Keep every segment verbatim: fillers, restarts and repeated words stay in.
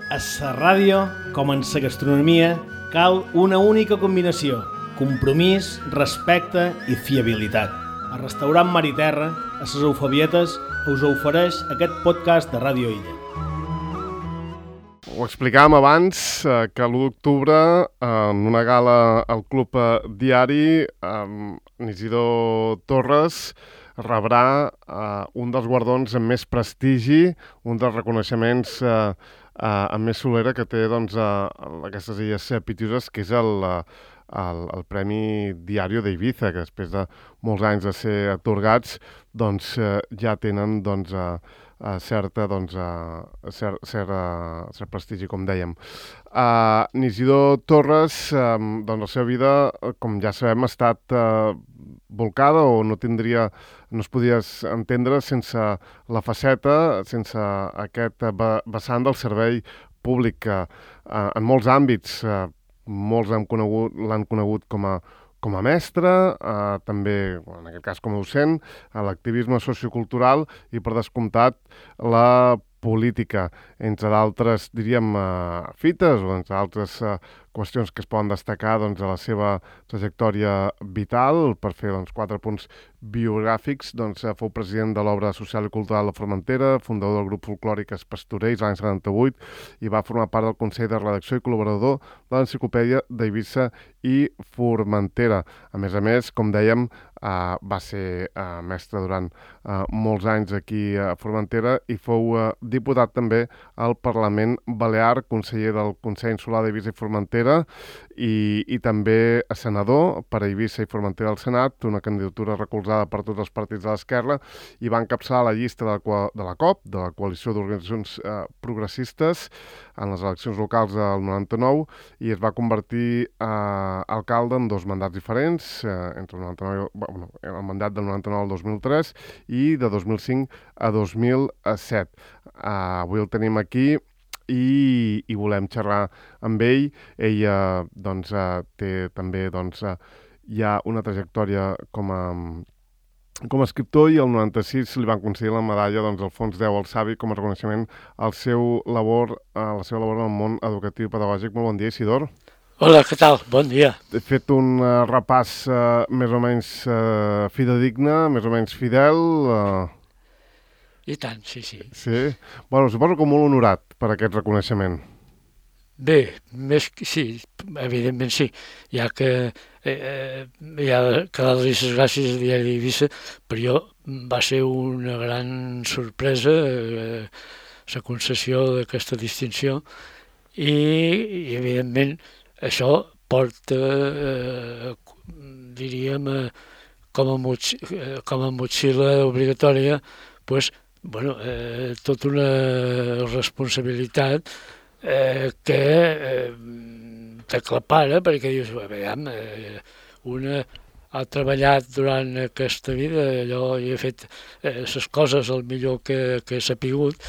A la ràdio, com en la gastronomia, cal una única combinació: compromís, respecte i fiabilitat. El restaurant Mar i Terra, a les Eufabietes, us ofereix aquest podcast de Ràdio Illa. Ho explicàvem abans, eh, que l'u d'octubre, en una gala al Club Diari, eh, Isidor Torres rebrà eh, un dels guardons amb més prestigi, un dels reconeixements eh, eh, amb més solera que té doncs, eh, aquestes illes Pitiüses, que és el, el, el Premi Diario d'Eivissa, que després de molts anys de ser atorgats, doncs, eh, ja tenen doncs, eh, Uh, certa, doncs, uh, cert, cert, uh, cert prestigi, com dèiem. Uh, Isidor Torres, um, doncs la seva vida, com ja sabem, ha estat uh, volcada o no tindria, no es podia entendre sense la faceta, sense aquest uh, vessant del servei públic que uh, en molts àmbits, uh, molts l'han conegut, l'han conegut com a com a mestre, eh, també, en aquest cas com a docent, a l'activisme sociocultural i, per descomptat, la política, entre d'altres, diríem, eh, fites o entre altres eh, qüestions que es poden destacar doncs, a la seva trajectòria vital. Per fer doncs, quatre punts biogràfics, doncs, eh, fou president de l'Obra Social i Cultural de Formentera, fundador del grup folclòric Pastorells l'any setanta-vuit i va formar part del Consell de Redacció i col·laborador de l'Enciclopèdia d'Eivissa i Formentera. A més a més, com dèiem, eh, va ser eh, mestre durant eh, molts anys aquí a Formentera i fou eh, diputat també al Parlament Balear, conseller del Consell Insular d'Eivissa i Formentera i, i també senador per a Eivissa i Formentera al Senat, una candidatura recolzada per tots els partits de l'esquerra, i va encapçalar la llista de la, de la COP, de la Coalició d'Organitzacions eh, Progressistes, en les eleccions locals del noranta-nou, i es va convertir eh, alcalde en dos mandats diferents, eh, entre el, noranta-nou, bueno, el mandat del noranta-nou al dos mil tres i de dos mil cinc a dos mil set. Eh, avui el tenim aquí i, i volem xerrar amb ell. Ell eh, doncs, eh, té també doncs, eh, ja una trajectòria com a, com a escriptor, i el noranta-sis li van concedir la medalla doncs, Alfons X el Savi com a reconeixement al seu labor, a la seva labor en el món educatiu i pedagògic. Molt bon dia, Isidor. Hola, què tal? Bon dia. He fet un uh, repàs uh, més o menys uh, fidedigne, més o menys fidel. Uh... I tant, sí, sí. Sí? Bueno, suposo que molt honorat per aquest reconeixement. Bé, més que sí, evidentment sí, ja que eh, ja que les gràcies al diari d'Eivissa, per jo va ser una gran sorpresa eh, la concessió d'aquesta distinció i, i evidentment això porta, eh, diríem, eh, com, a motx, eh, com a motxilla obligatòria, pues, bueno, eh, tota una responsabilitat eh, que eh, t'aclapara, perquè dius, veiem, eh, una ha treballat durant aquesta vida, allò, i ha fet eh, les coses el millor que, que s'ha pogut,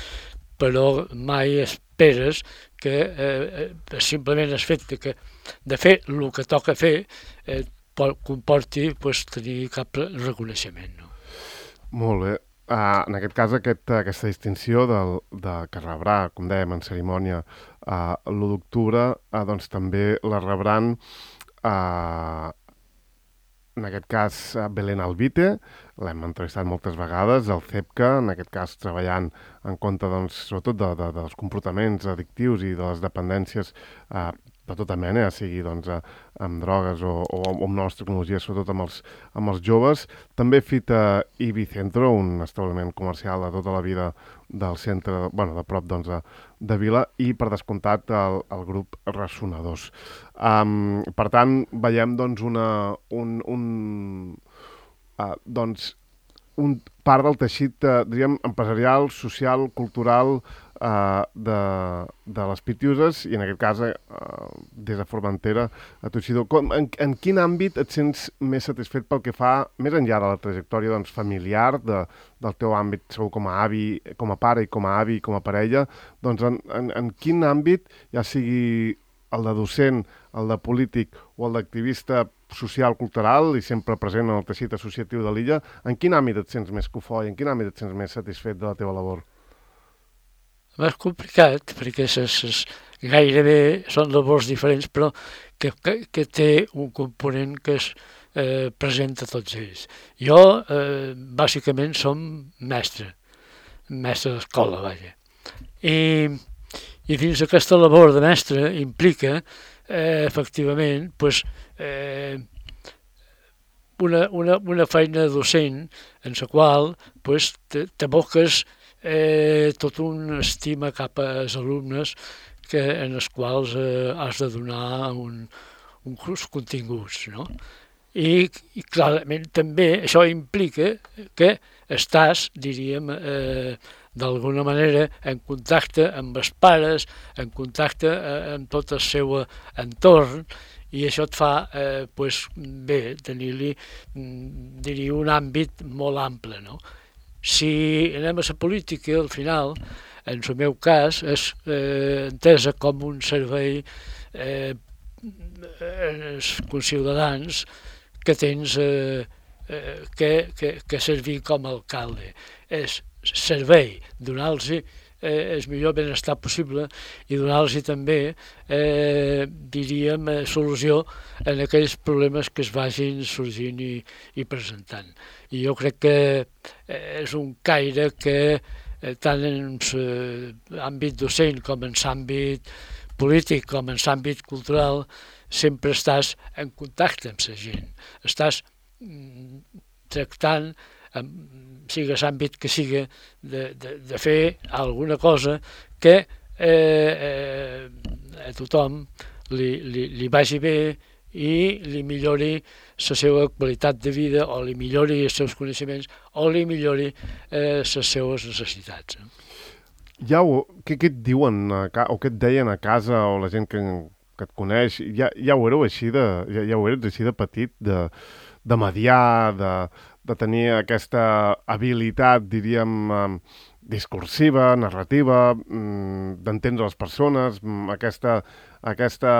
però mai esperes que eh, simplement el fet de, que, de fer el que toca fer eh, comporti pues, tenir cap reconeixement. No? Molt bé. Uh, en aquest cas, aquest, aquesta distinció del, de, que rebrà, com dèiem, en cerimònia uh, l'u d'octubre, uh, doncs també la rebran, uh, en aquest cas, uh, Belén Alvite, l'hem entrevistat moltes vegades, el CEPCA, en aquest cas treballant en compte, doncs, sobretot de, de, dels comportaments addictius i de les dependències uh, de tota mena, ja sigui doncs, amb drogues o, o amb noves tecnologies, sobretot amb els, amb els joves. També Fita i Bicentro, un establiment comercial de tota la vida del centre, bueno, de prop doncs, de, de Vila, i per descomptat el, el grup Ressonadors. Um, per tant, veiem doncs, una, un, un, uh, doncs, un part del teixit, uh, diríem, empresarial, social, cultural, Uh, de, de les Pitiüses, i en aquest cas uh, des de Formentera a Tuixidor. Com, en, en quin àmbit et sents més satisfet pel que fa, més enllà de la trajectòria doncs, familiar, de, del teu àmbit segur com a avi, com a pare i com a avi, com a parella, doncs en, en, en quin àmbit, ja sigui el de docent, el de polític o el d'activista social, cultural i sempre present en el teixit associatiu de l'illa, en quin àmbit et sents més cofoi, en quin àmbit et sents més satisfet de la teva labor? més complicat, perquè ses, ses, gairebé són labors diferents, però que, que, que té un component que es eh, presenta a tots ells. Jo, eh, bàsicament, som mestre, mestre d'escola, vaja. I, i dins aquesta labor de mestre implica, eh, efectivament, pues, eh, una, una, una feina docent en la qual pues, t'aboques eh, tot una estima cap als alumnes que, en els quals eh, has de donar un, uns continguts, no? I, i clarament també això implica que estàs, diríem, eh, d'alguna manera en contacte amb els pares, en contacte eh, amb tot el seu entorn, i això et fa, eh, pues, bé, tenir-li, diria, un àmbit molt ample, no? Si anem a la política, al final, en el meu cas, és eh, entesa com un servei eh, als conciutadans que tens eh, eh, que, que, que servir com a alcalde. És servei, donar-los eh, el millor benestar possible i donar-los també, eh, diríem, eh, solució en aquells problemes que es vagin sorgint i, i presentant. I jo crec que eh, és un caire que eh, tant en l'àmbit docent com en l'àmbit polític com en l'àmbit cultural sempre estàs en contacte amb la gent, estàs mm, tractant sigui l'àmbit que sigui, de, de, de fer alguna cosa que eh, eh, a tothom li, li, li vagi bé i li millori la seva qualitat de vida o li millori els seus coneixements o li millori eh, les seves necessitats. Ja ho, què, què et diuen a, o què et deien a casa o la gent que, que et coneix? Ja, ja ho éreu així de, ja, ja ho eres així de petit, de, de mediar, de, de tenir aquesta habilitat, diríem, discursiva, narrativa, d'entendre les persones, aquesta, aquesta,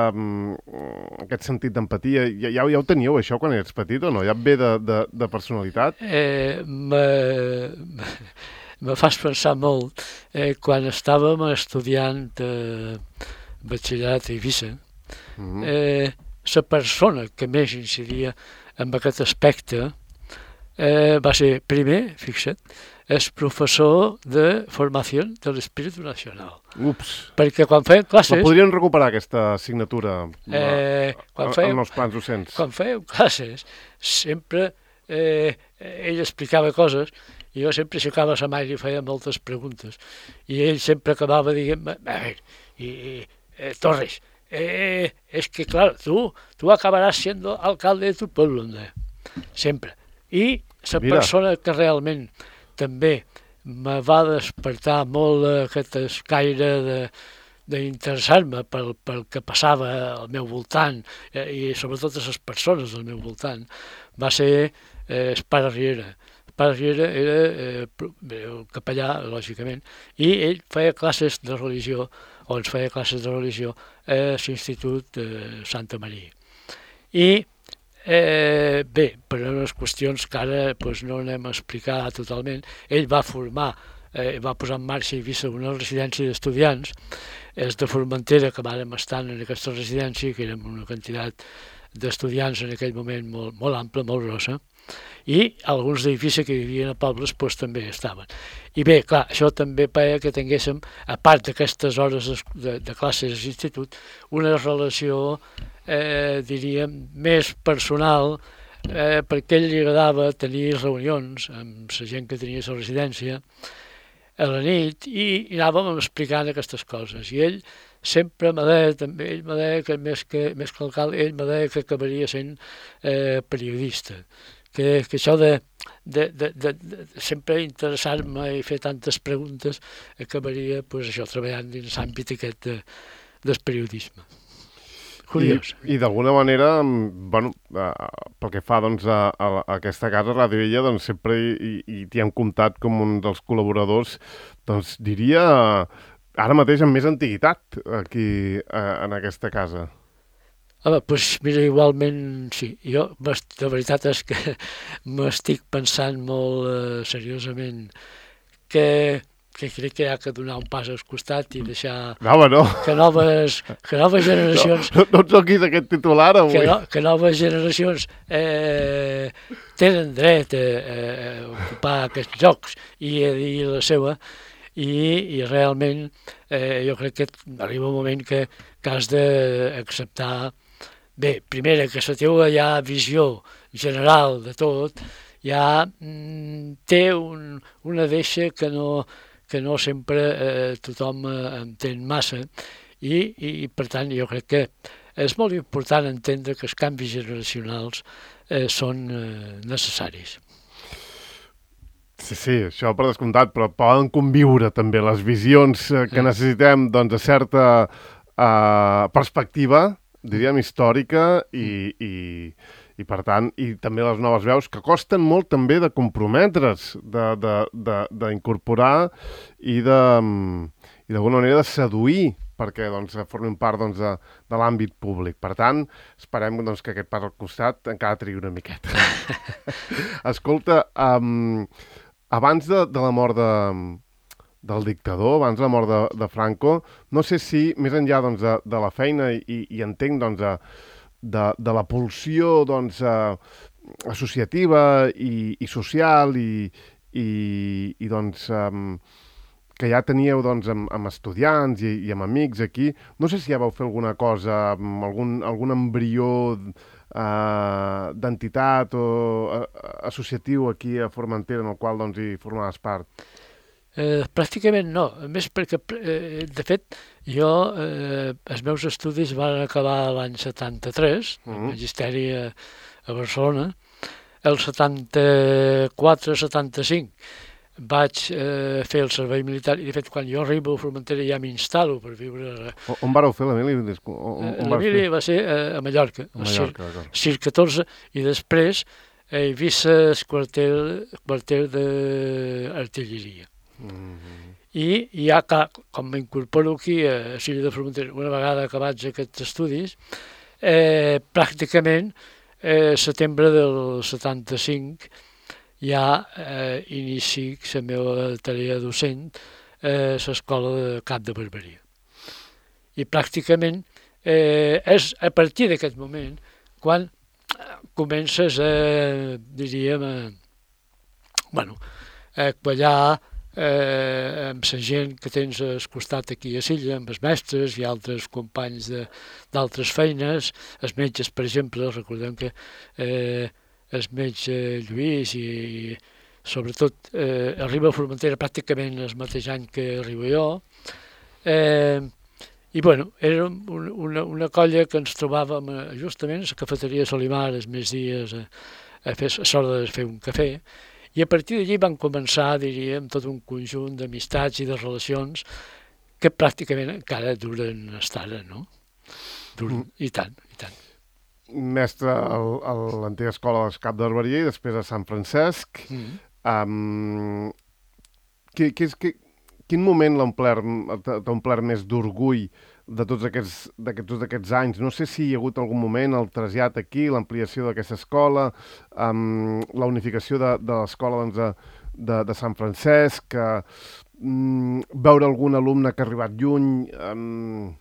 aquest sentit d'empatia. Ja, ja ho teníeu, això, quan eres petit, o no? Ja et ve de, de, de personalitat? Eh, me, me fas pensar molt. Eh, quan estàvem estudiant eh, batxillerat a Eivissa, mm-hmm. eh, la persona que més incidia en aquest aspecte Eh, va ser primer, fixa't, és professor de formació de l'Espíritu Nacional. Ups! Perquè quan feien classes... La podrien recuperar, aquesta assignatura, eh, quan feien, amb els plans docents? Quan feien classes, sempre eh, ell explicava coses i jo sempre aixecava la mà i li feia moltes preguntes. I ell sempre acabava dient, a veure, i, eh, Torres, eh, és que, clar, tu, tu acabaràs siendo alcalde de tu pueblo, ¿no? Sempre. I la persona que realment també me va despertar molt aquest escaire d'interessar-me pel, pel que passava al meu voltant eh, i sobretot a les persones del meu voltant va ser eh, el pare Riera. El pare Riera era eh, el capellà, lògicament, i ell feia classes de religió, o ens feia classes de religió a l'Institut eh, Santa Maria. I Eh, bé, per unes qüestions que ara pues, no anem a explicar totalment, ell va formar, eh, va posar en marxa a Eivissa una residència d'estudiants, és de Formentera, que vàrem estar en aquesta residència, que érem una quantitat d'estudiants en aquell moment molt, molt ampla, molt grossa, i alguns d'Eivissa que vivien a pobles pues, també estaven. I bé, clar, això també feia que tinguéssim, a part d'aquestes hores de, de, de classes a l'institut, una relació Eh, diríem, més personal, eh, perquè a ell li agradava tenir reunions amb la gent que tenia la residència a la nit i, i anàvem explicant aquestes coses. I ell sempre me deia, també, ell me deia que més que, més que alcalde, ell me deia que acabaria sent eh, periodista. Que, que això de, de, de, de, de sempre interessar-me i fer tantes preguntes acabaria pues, això treballant dins l'àmbit aquest de, del periodisme. Curiós. I, i d'alguna manera, bueno, uh, pel que fa doncs, a, a, a aquesta casa, Ràdio Illa, doncs, sempre hi, hi t'hi hem comptat com un dels col·laboradors, doncs diria ara mateix amb més antiguitat aquí uh, en aquesta casa. Home, doncs mira, igualment sí. Jo, la veritat és que m'estic pensant molt uh, seriosament que, que crec que hi ha que donar un pas al costat i deixar no, home, no. que, noves, que noves generacions... No, no et toquis aquest titular avui. Que, no, que noves generacions eh, tenen dret a, a ocupar aquests llocs i a dir la seva, i, i realment eh, jo crec que arriba un moment que, que has d'acceptar, bé, primera, que la teva ja visió general de tot ja mm, té un, una deixa que no, que no sempre eh, tothom eh, entén massa i, i per tant jo crec que és molt important entendre que els canvis generacionals eh, són eh, necessaris. Sí, sí, això per descomptat, però poden conviure també les visions eh, que necessitem doncs, de certa eh, perspectiva, diríem, històrica i, i, i per tant, i també les noves veus que costen molt també de comprometre's, d'incorporar i de, i d'alguna manera de seduir perquè doncs, formin part doncs, de, de l'àmbit públic. Per tant, esperem doncs, que aquest pas al costat encara trigui una miqueta. Escolta, um, abans de, de la mort de, del dictador, abans de la mort de, de Franco, no sé si, més enllà doncs, de, de la feina i, i entenc doncs, de, de, de la pulsió doncs, eh, associativa i, i social i, i, i doncs, um, que ja teníeu doncs, amb, amb estudiants i, i amb amics aquí, no sé si ja vau fer alguna cosa, algun, algun embrió Uh, d'entitat o uh, associatiu aquí a Formentera en el qual doncs, hi formaves part? Eh, pràcticament no, a més perquè, eh, de fet, jo, eh, els meus estudis van acabar l'any setanta-tres, uh-huh. el magisteri a, a Barcelona, el setanta-quatre setanta-cinc vaig eh, fer el servei militar i, de fet, quan jo arribo a Formentera ja m'instal·lo per viure... O, on vareu fer l'Emili? L'Emili va ser a Mallorca, a Mallorca, al Cir catorze, i després he vist el quarter, quarter d'artilleria. Mm-hmm. I ja, com m'incorporo aquí a Ciri de Formentera, una vegada acabats aquests estudis, eh, pràcticament, eh, setembre del setanta-cinc, ja eh, inici la meva tarea docent a l'escola de Cap de Barberia. I pràcticament eh, és a partir d'aquest moment quan comences a, diríem, a, bueno, a quallar eh, amb la gent que tens al costat aquí a Silla, amb els mestres i altres companys d'altres feines, els metges, per exemple, recordem que eh, el metge Lluís i, i sobretot eh, arriba a Formentera pràcticament el mateix any que arribo jo. Eh, I bueno, era un, una, una colla que ens trobàvem eh, justament a la cafeteria Solimar els més dies a, a, fer, a l'hora de fer un cafè i a partir d'allí van començar, diríem, tot un conjunt d'amistats i de relacions que pràcticament encara duren fins ara, no? Duren, mm. I tant, i tant. Mestre a l'antiga escola de Cap de Barberia i després a Sant Francesc. Mm. Um, que, que, que, quin moment t'ha omplert més d'orgull de tots aquests, tots aquests anys? No sé si hi ha hagut algun moment, el trasllat aquí, l'ampliació d'aquesta escola, um, la unificació de, de l'escola doncs, de, de, de Sant Francesc, um, veure algun alumne que ha arribat lluny... Um,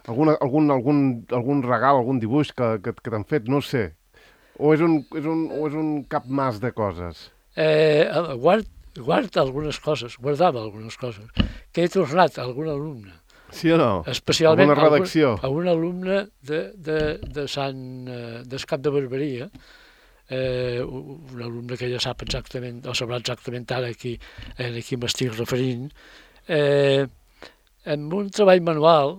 Alguna, algun, algun, algun regal, algun dibuix que, que, que t'han fet, no sé. O és un, és un, o és un cap mas de coses? Eh, guard, guard algunes coses, guardava algunes coses, que he tornat a algun alumne. Sí o no? Especialment alguna redacció? A un, a un alumne de, de, de Sant, del Cap de Barberia, eh, un alumne que ja sap exactament, o sabrà exactament ara aquí, aquí m'estic referint, eh, amb un treball manual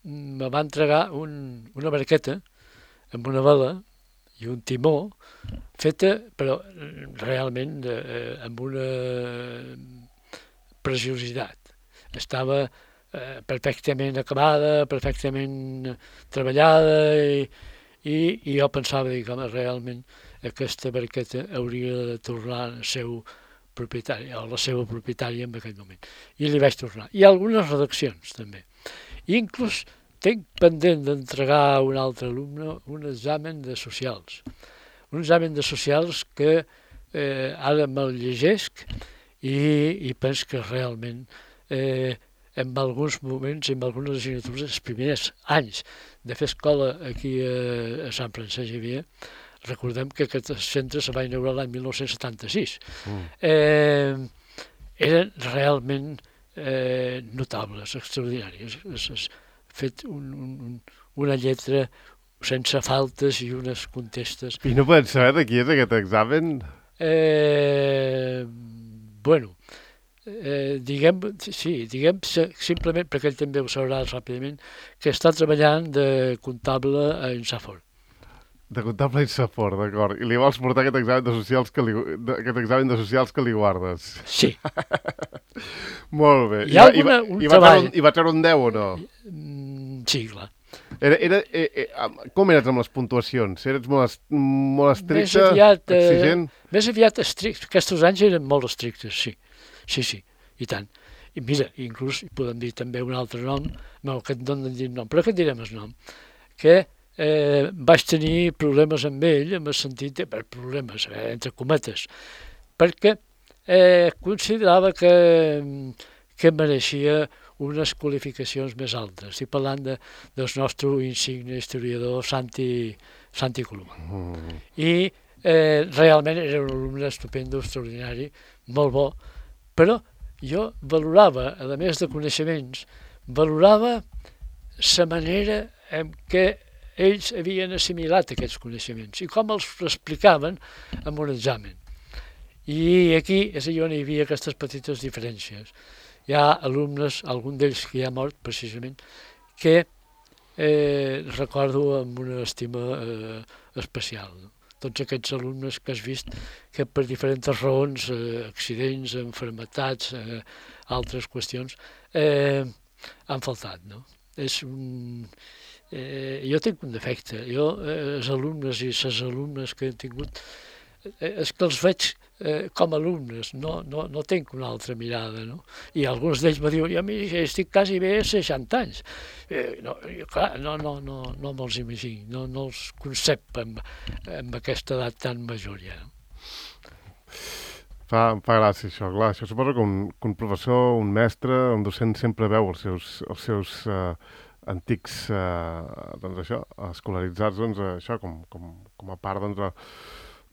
me va entregar un, una barqueta amb una vela i un timó feta, però realment eh, amb una preciositat. Estava eh, perfectament acabada, perfectament treballada i, i, i jo pensava que realment aquesta barqueta hauria de tornar al seu propietari, o la seva propietària en aquell moment. I li vaig tornar. I algunes redaccions també. I inclús tinc pendent d'entregar a un altre alumne un examen de socials. Un examen de socials que eh, ara me'l llegesc i, i penso que realment eh, en alguns moments, en algunes assignatures, els primers anys de fer escola aquí a, a Sant Francesc Xavier, recordem que aquest centre se va inaugurar l'any mil nou-cents setanta-sis. Mm. Eh, eren realment eh, notables, extraordinaris. Has fet un, un, una lletra sense faltes i unes contestes. I no podem saber de qui és aquest examen? Eh, bueno, eh, diguem, sí, diguem simplement, perquè ell també ho sabrà ràpidament, que està treballant de comptable a Insafort. De comptable a Insafort, d'acord. I li vols portar aquest examen de socials que li, aquest examen de socials que li guardes? Sí. Molt bé. Hi ha I, alguna, i, un i, treball... Va I va treure un deu o no? Mm, sí, clar. Era, era, eh, eh, com eres amb les puntuacions? Eres molt, molt estricte, més aviat, exigent? Eh, més aviat estricte. Aquests anys eren molt estrictes, sí. Sí, sí, i tant. I mira, inclús podem dir també un altre nom, no, que et donen dir nom, però que et direm el nom, que eh, vaig tenir problemes amb ell, en el sentit de, per problemes, eh, entre cometes, perquè eh, considerava que, que mereixia unes qualificacions més altes. Estic parlant de, del nostre insigne historiador Santi, Santi Coloma. Mm. I eh, realment era un alumne estupendo, extraordinari, molt bo, però jo valorava, a més de coneixements, valorava la manera en què ells havien assimilat aquests coneixements i com els explicaven en un examen. I aquí és on hi havia aquestes petites diferències. Hi ha alumnes, algun d'ells que ja ha mort precisament, que eh, recordo amb una estima eh, especial. No? Tots aquests alumnes que has vist que per diferents raons, eh, accidents, enfermetats, eh, altres qüestions, eh, han faltat. No? És un, eh, jo tinc un defecte. Jo, eh, els alumnes i les alumnes que he tingut, eh, és que els veig eh, com alumnes, no, no, no tinc una altra mirada. No? I alguns d'ells me diuen, jo mi, estic quasi bé a seixanta anys. Eh, no, clar, no, no, no, no me'ls imagino, no, no els concep amb, amb aquesta edat tan major ja. Fa, fa gràcia això, clar. Això suposo que un, que un professor, un mestre, un docent sempre veu els seus, els seus uh, antics, uh, doncs això, escolaritzats, doncs això, com, com, com a part, doncs, de,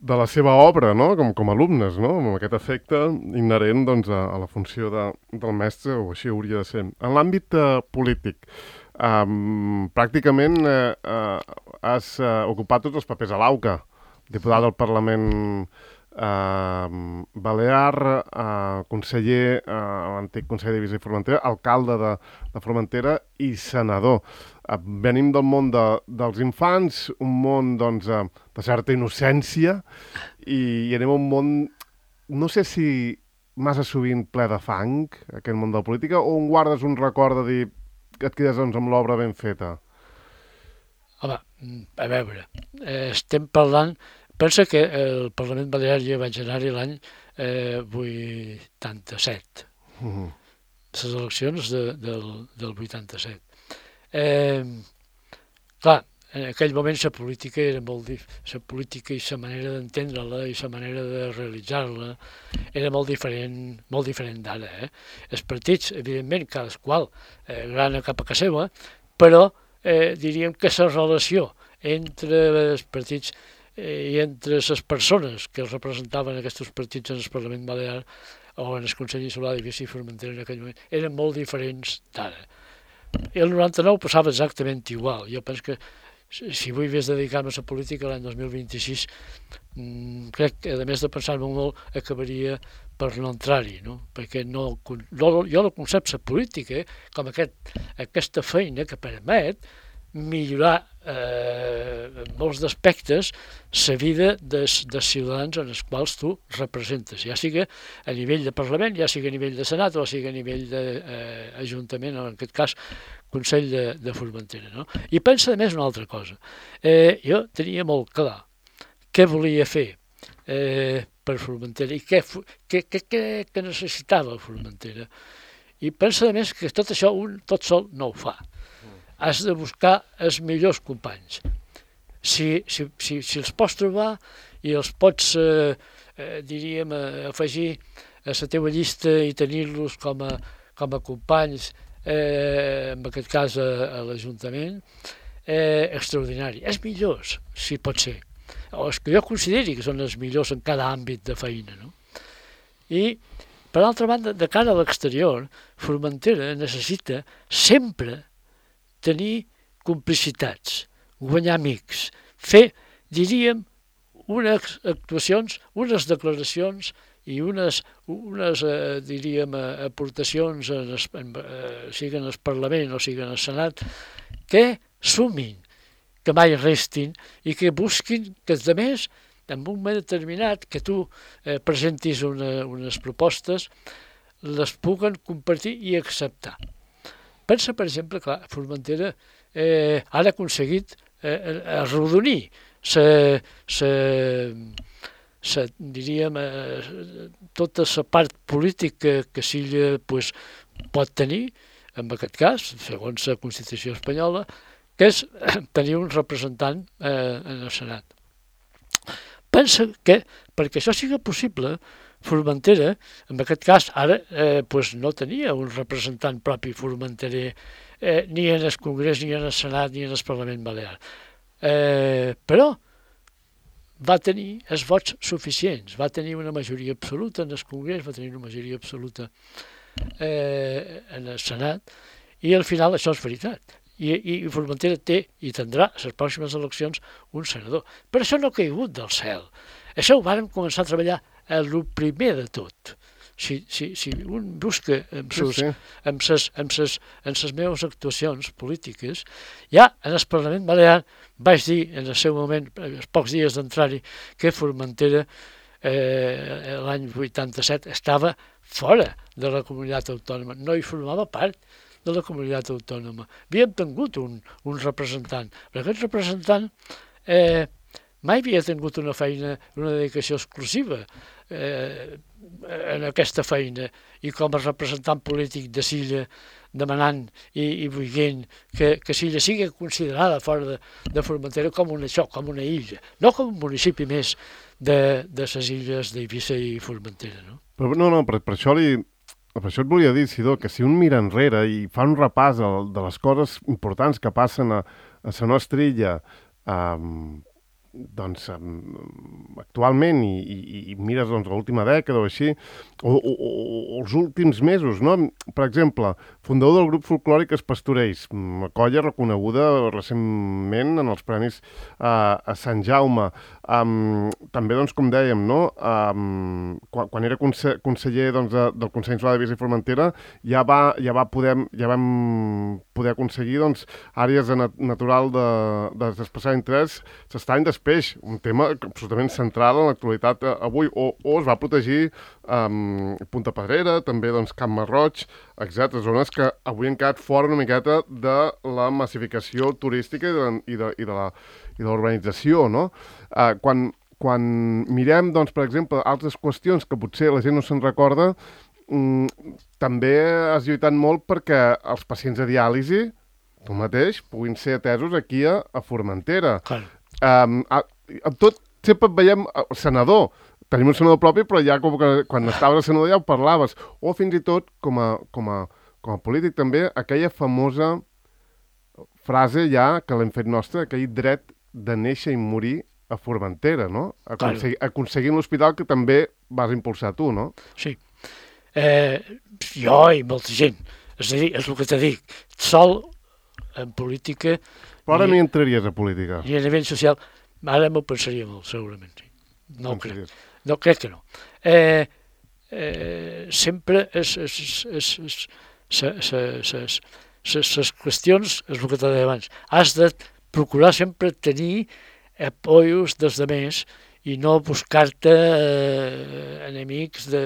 de la seva obra, no? Com, com alumnes, no? Amb aquest efecte inherent, doncs, a, a la funció de, del mestre, o així hauria de ser. En l'àmbit uh, polític, um, pràcticament uh, uh, has uh, ocupat tots els papers a l'AUCA, diputat del Parlament Uh, Balear, uh, conseller, uh, l'antic conseller d'Eivissa i Formentera, alcalde de, de Formentera i senador. Uh, venim del món de, dels infants, un món doncs, uh, de certa innocència, i, i anem a un món, no sé si massa sovint ple de fang, aquest món de la política, o on guardes un record de dir que et quedes doncs, amb l'obra ben feta? Home, a veure, eh, estem parlant... Pensa que el Parlament Balear ja vaig anar-hi l'any eh, vuitanta-set, uh-huh. Les eleccions de, del, del vuitanta-set. Eh, clar, en aquell moment la política era molt la política i la manera d'entendre-la i la manera de realitzar-la era molt diferent, molt diferent d'ara. Eh? Els partits, evidentment, cadasqual eh, grana cap a casa seva, però eh, diríem que la relació entre els partits i entre les persones que els representaven aquests partits en el Parlament Balear o en el Consell Insular d'Eivissa i Formentera en aquell moment eren molt diferents d'ara. I el noranta-nou passava exactament igual. Jo penso que si avui hagués dedicar-me a la política l'any dos mil vint-i-sis, mmm, crec que, a més de pensar-me molt, acabaria per no entrar-hi, no? Perquè no, no, jo no concep la política eh, com aquest, aquesta feina que permet millorar eh, en molts d'aspectes la vida dels, dels ciutadans en els quals tu representes, ja sigui a nivell de Parlament, ja sigui a nivell de Senat o sigui a nivell d'Ajuntament, eh, o en aquest cas Consell de, de Formentera. No? I pensa a més una altra cosa. Eh, jo tenia molt clar què volia fer eh, per Formentera i què, què, què, què, què necessitava Formentera. I pensa a més que tot això un tot sol no ho fa. Has de buscar els millors companys. Si, si, si, si els pots trobar i els pots, eh, eh, diríem, eh, afegir a la teva llista i tenir-los com a, com a companys, eh, en aquest cas a, a l'Ajuntament, eh, extraordinari. És millors, si pot ser. O és que jo consideri que són els millors en cada àmbit de feina, no? I, per altra banda, de cara a l'exterior, Formentera necessita sempre tenir complicitats, guanyar amics, fer, diríem, unes actuacions, unes declaracions i unes, unes eh, diríem, aportacions, en es, en, eh, siguin al Parlament o siguin al Senat, que sumin, que mai restin i que busquin que els altres, en un moment determinat, que tu eh, presentis una, unes propostes, les puguen compartir i acceptar. Pensa, per exemple, que Formentera eh, ha aconseguit eh, arrodonir se, se, se, diríem, eh, tota la part política que Silla pues, pot tenir, en aquest cas, segons la Constitució espanyola, que és tenir un representant eh, en el Senat. Pensa que, perquè això sigui possible, Formentera, en aquest cas, ara eh, pues no tenia un representant propi formenterer eh, ni en el Congrés, ni en el Senat, ni en el Parlament Balear. Eh, però va tenir els vots suficients, va tenir una majoria absoluta en el Congrés, va tenir una majoria absoluta eh, en el Senat, i al final això és veritat. I, i Formentera té i tindrà a les pròximes eleccions un senador. Però això no ha caigut del cel. Això ho vàrem començar a treballar el primer de tot. Si, si, si un busca amb, sus, sí, sí. amb, ses, amb, ses, amb ses meves actuacions polítiques, ja en el Parlament Balear vaig dir en el seu moment, els pocs dies d'entrar-hi, que Formentera eh, l'any vuitanta-set estava fora de la comunitat autònoma, no hi formava part de la comunitat autònoma. Havíem tingut un, un representant, però aquest representant eh, mai havia tingut una feina, una dedicació exclusiva eh, en aquesta feina, i com a representant polític de Silla, demanant i, i veient que, que Silla sigui considerada fora de, de Formentera com una, això, com una illa, no com un municipi més de, de les illes d'Eivissa i Formentera. No, però, no, no per, per això li... Per això et volia dir, Sidó, que si un mira enrere i fa un repàs de les coses importants que passen a, a la nostra illa, um, doncs, um, actualment, i, i, i mires doncs, l'última dècada o així, o, o, o els últims mesos, no? Per exemple, fundador del grup folclòric Els Pastorells, una colla reconeguda recentment en els premis uh, a Sant Jaume. Um, també, doncs, com dèiem, no? um, quan, quan era conse conseller doncs, de, del Consell Insular d'Eivissa i Formentera, ja, va, ja, va poder, ja vam poder aconseguir doncs, àrees de nat natural de, de d'especial interès s'estany d'espeix, un tema absolutament central en l'actualitat avui, o, o es va protegir um, Punta Pedrera, també doncs, Camp Marroig, etcètera, zones que avui han quedat fora una miqueta de la massificació turística i de, i de, i de la i de l'urbanització, no? Uh, quan, quan mirem, doncs, per exemple, altres qüestions que potser la gent no se'n recorda, um, també has lluitat molt perquè els pacients de diàlisi, tu mateix, puguin ser atesos aquí a, a Formentera. Clar. Um, a, a tot, sempre et veiem uh, senador, tenim un senador propi, però ja com que quan estaves a senador ja ho parlaves, o fins i tot, com a, com a, com a polític també, aquella famosa frase ja que l'hem fet nostra, aquell dret de néixer i morir a Formentera, no? Aconsegui, aconseguint l'hospital que també vas impulsar tu, no? Sí. Eh, jo i molta gent. És a dir, és el que t'he dit. Sol en política... Però ara ni entraries a política. I a nivell social, ara m'ho pensaria molt, segurament. Sí. No ho crec. No, crec que no. Eh, eh, sempre és... és, és, és, és, és, és les qüestions, és el que t'he dit abans, has de procurar sempre tenir apoyos dels demés i no buscar-te eh, enemics de,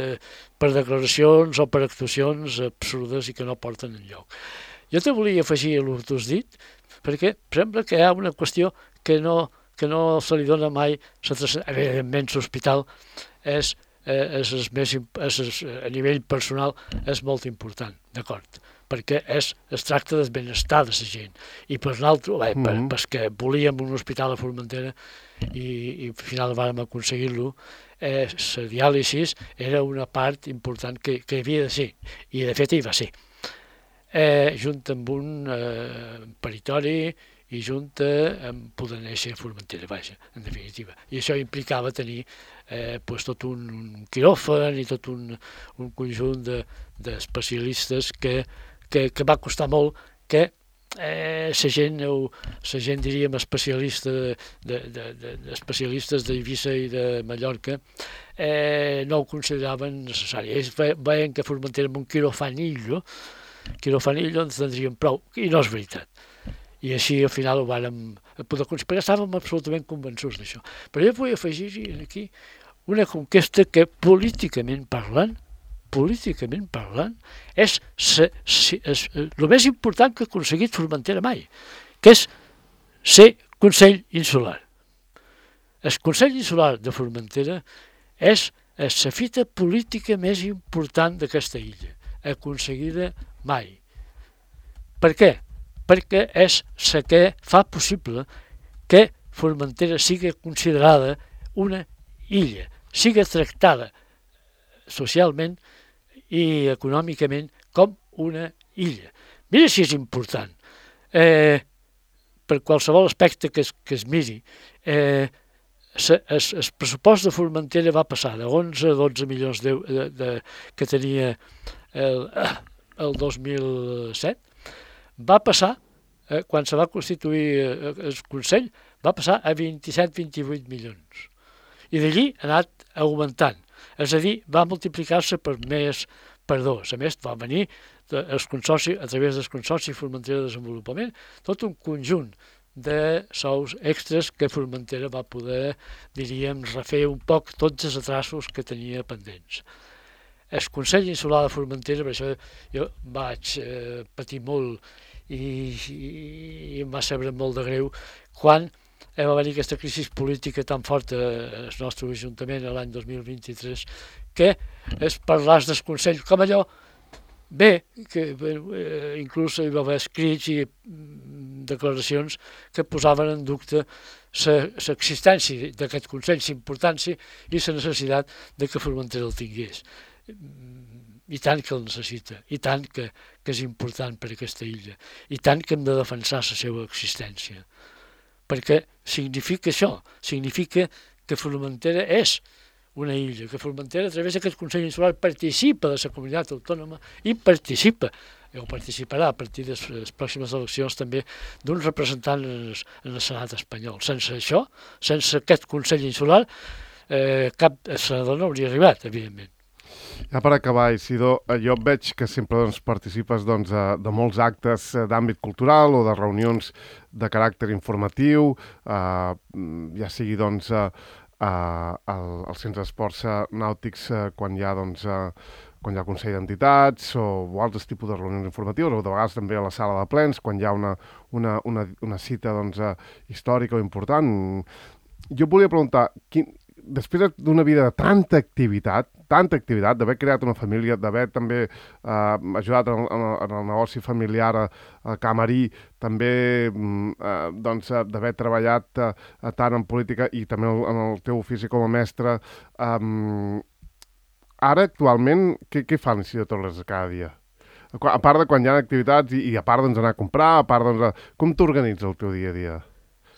per declaracions o per actuacions absurdes i que no porten enlloc. Jo te volia afegir el que tu has dit, perquè sembla que hi ha una qüestió que no, que no se li dona mai, evidentment l'hospital és, eh, és, és més, és, és, a nivell personal és molt important, d'acord, perquè és, es tracta del benestar de la gent. I per l'altre, bé, per, perquè volíem un hospital a Formentera i, i al final vam aconseguir-lo, eh, la diàlisi era una part important que, que havia de ser, i de fet hi va ser, eh, junt amb un eh, peritori i junt amb poder néixer a Formentera, vaja, en definitiva. I això implicava tenir eh, pues, tot un, un quiròfan i tot un, un conjunt d'especialistes de, que, que, que va costar molt que eh, la gent, la gent diríem especialista de, de, de, de, especialistes d'Eivissa i de Mallorca eh, no ho consideraven necessari. Ells veien que Formentera amb un quirofanillo quirofanillo ens tindríem prou, i no és veritat. I així al final ho vàrem poder conspirar, estàvem absolutament convençuts d'això. Però jo vull afegir aquí una conquesta que políticament parlant, políticament parlant, és, se, se, és el més important que ha aconseguit Formentera mai, que és ser Consell Insular. El Consell Insular de Formentera és la fita política més important d'aquesta illa, aconseguida mai. Per què? Perquè és la que fa possible que Formentera sigui considerada una illa, sigui tractada socialment i econòmicament com una illa. Mira si és important. Eh, per qualsevol aspecte que es, que es miri, eh, el, el pressupost de Formentera va passar de onze a dotze milions de, de, de, que tenia el, el dos mil set, va passar, eh, quan se va constituir eh, el Consell, va passar a vint-i-set a vint-i-vuit milions. I d'allí ha anat augmentant. És a dir, va multiplicar-se per més per dos. A més, va venir el consorci, a través del Consorci Formentera de Desenvolupament, tot un conjunt de sous extras que Formentera va poder, diríem, refer un poc tots els atrasos que tenia pendents. El Consell Insular de Formentera, per això jo vaig eh, patir molt i, i, i em va saber molt de greu quan va venir aquesta crisi política tan forta al nostre Ajuntament l'any dos mil vint-i-tres que es parlàs del Consell com allò bé, que eh, inclús hi va haver escrits i declaracions que posaven en dubte l'existència d'aquest Consell, la importància i la necessitat de que Formentera el tingués. I tant que el necessita, i tant que, que és important per a aquesta illa, i tant que hem de defensar la seva existència. Perquè significa això, significa que Formentera és una illa, que Formentera a través d'aquest Consell Insular participa de la comunitat autònoma i participa, o participarà a partir de les pròximes eleccions també d'un representant en el, en el Senat espanyol. Sense això, sense aquest Consell Insular, eh, cap senador no hauria arribat, evidentment. Ja per acabar, Isidor, jo veig que sempre doncs, participes doncs, de molts actes d'àmbit cultural o de reunions de caràcter informatiu, eh, ja sigui doncs, eh, al, al Centre d'Esports Nàutics eh, quan hi ha doncs, eh, quan hi ha Consell d'Entitats o, o altres tipus de reunions informatives, o de vegades també a la sala de plens, quan hi ha una, una, una, una cita doncs, eh, històrica o important. Jo volia preguntar, quin, després d'una vida de tanta activitat, tanta activitat, d'haver creat una família, d'haver també eh, ajudat en, en, en el negoci familiar a, a Camarí, també eh, doncs, d'haver treballat eh, tant en política i també en el teu ofici com a mestre, eh, ara, actualment, què, què fan Isidor Torres cada dia? A part de quan hi ha activitats i, i a part d'anar a comprar, a part doncs, com t'organitza el teu dia a dia?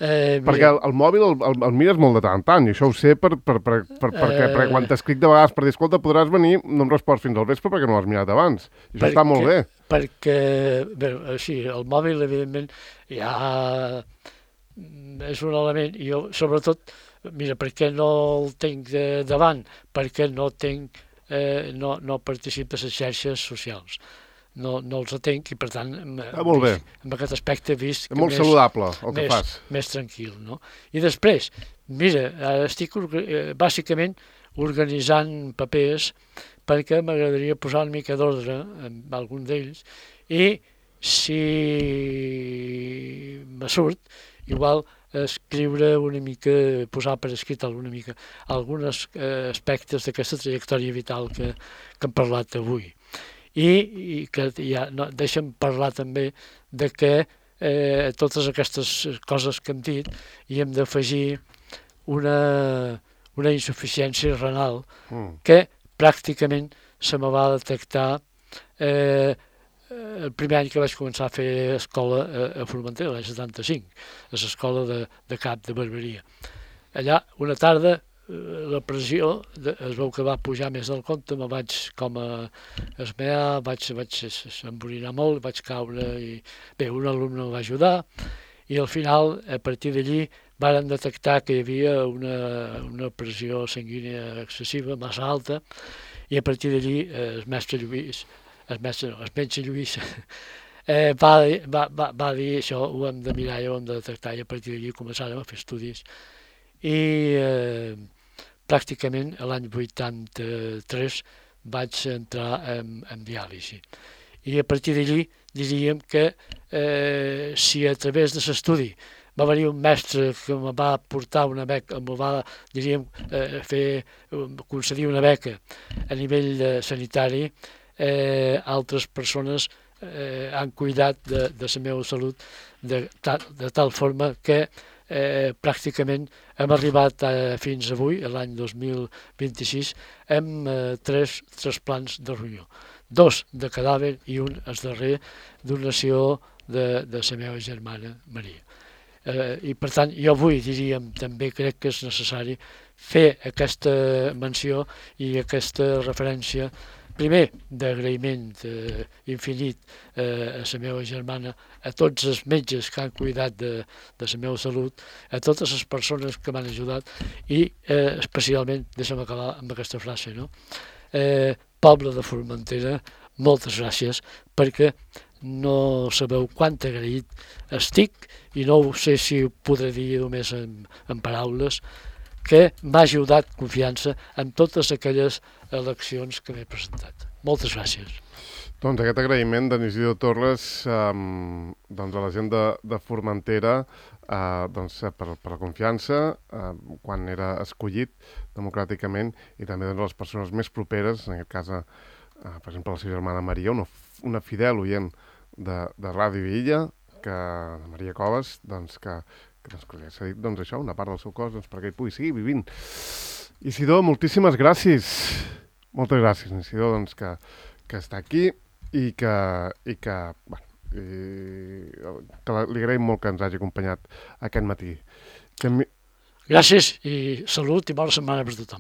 Eh, perquè el, el mòbil el, el, el mires molt de tant en tant, i això ho sé per, per, per, per, eh, perquè, perquè quan t'escric de vegades per dir, escolta, podràs venir, no em respons fins al vespre perquè no l'has mirat abans. I això perquè, està molt bé. Perquè, bé, sí, el mòbil, evidentment, ja és un element, i jo, sobretot, mira, perquè no el tinc de, davant, perquè no tinc, eh, no, no participo a les xarxes socials. No, no els atenc i, per tant, ah, molt bé. En aquest aspecte he vist és molt més, saludable el que més, fas. Més tranquil, no? I després, mira, estic eh, bàsicament organitzant papers perquè m'agradaria posar una mica d'ordre amb algun d'ells i si me surt, igual escriure una mica, posar per escrit alguna mica alguns eh, aspectes d'aquesta trajectòria vital que, que hem parlat avui. I, i que ja no, deixa'm parlar també de que eh, totes aquestes coses que hem dit i hem d'afegir una, una insuficiència renal Mm. que pràcticament se me va detectar eh, el primer any que vaig començar a fer escola a, a Formentera, l'any setanta-cinc, a l'escola de, de cap de barberia. Allà, una tarda, eh, la pressió de, es veu que va pujar més del compte, me vaig com a esmear, vaig, vaig embolinar molt, vaig caure i bé, un alumne em va ajudar i al final, a partir d'allí, varen detectar que hi havia una, una pressió sanguínia excessiva, massa alta, i a partir d'allí eh, el mestre Lluís, el mestre no, el metge Lluís, eh, va, va, va, va dir això, ho hem de mirar i ho hem de detectar, i a partir d'allí començàrem a fer estudis. I eh, pràcticament l'any vuitanta-tres vaig entrar en, en diàlisi. I a partir d'allí diríem que eh, si a través de l'estudi va venir un mestre que em va portar una beca, em va, diríem, eh, fer, concedir una beca a nivell eh, sanitari, eh, altres persones eh, han cuidat de, de la meva salut de, de tal forma que eh, pràcticament hem arribat a, fins avui, l'any dos mil vint-i-sis, amb eh, tres trasplants de ronyó. Dos de cadàver i un, el darrer, donació de, de la meva germana Maria. Eh, I per tant, jo avui diríem, també crec que és necessari fer aquesta menció i aquesta referència, primer, d'agraïment eh, infinit eh, a la meva germana, a tots els metges que han cuidat de, de la meva salut, a totes les persones que m'han ajudat i eh, especialment, deixa'm acabar amb aquesta frase, no? Eh, poble de Formentera, moltes gràcies, perquè no sabeu quant agraït estic, i no sé si ho podré dir només en, en paraules, que m'ha ajudat confiança en totes aquelles eleccions que m'he presentat. Moltes gràcies. Doncs aquest agraïment d'en Isidro Torres eh, doncs a la gent de, de Formentera eh, doncs, per, per la confiança eh, quan era escollit democràticament i també doncs, a les persones més properes, en aquest cas, eh, per exemple, la seva germana Maria, una, una fidel oient de, de Ràdio Illa, que Maria Coves, doncs, que, que, doncs, que li ha cedit doncs, això, una part del seu cos doncs, perquè hi pugui seguir vivint. Isidor, moltíssimes gràcies. Moltes gràcies, Isidor, doncs, que, que està aquí i que, i que, bueno, i, que li agraïm molt que ens hagi acompanyat aquest matí. Que mi... Gràcies i salut i bona setmana per tothom.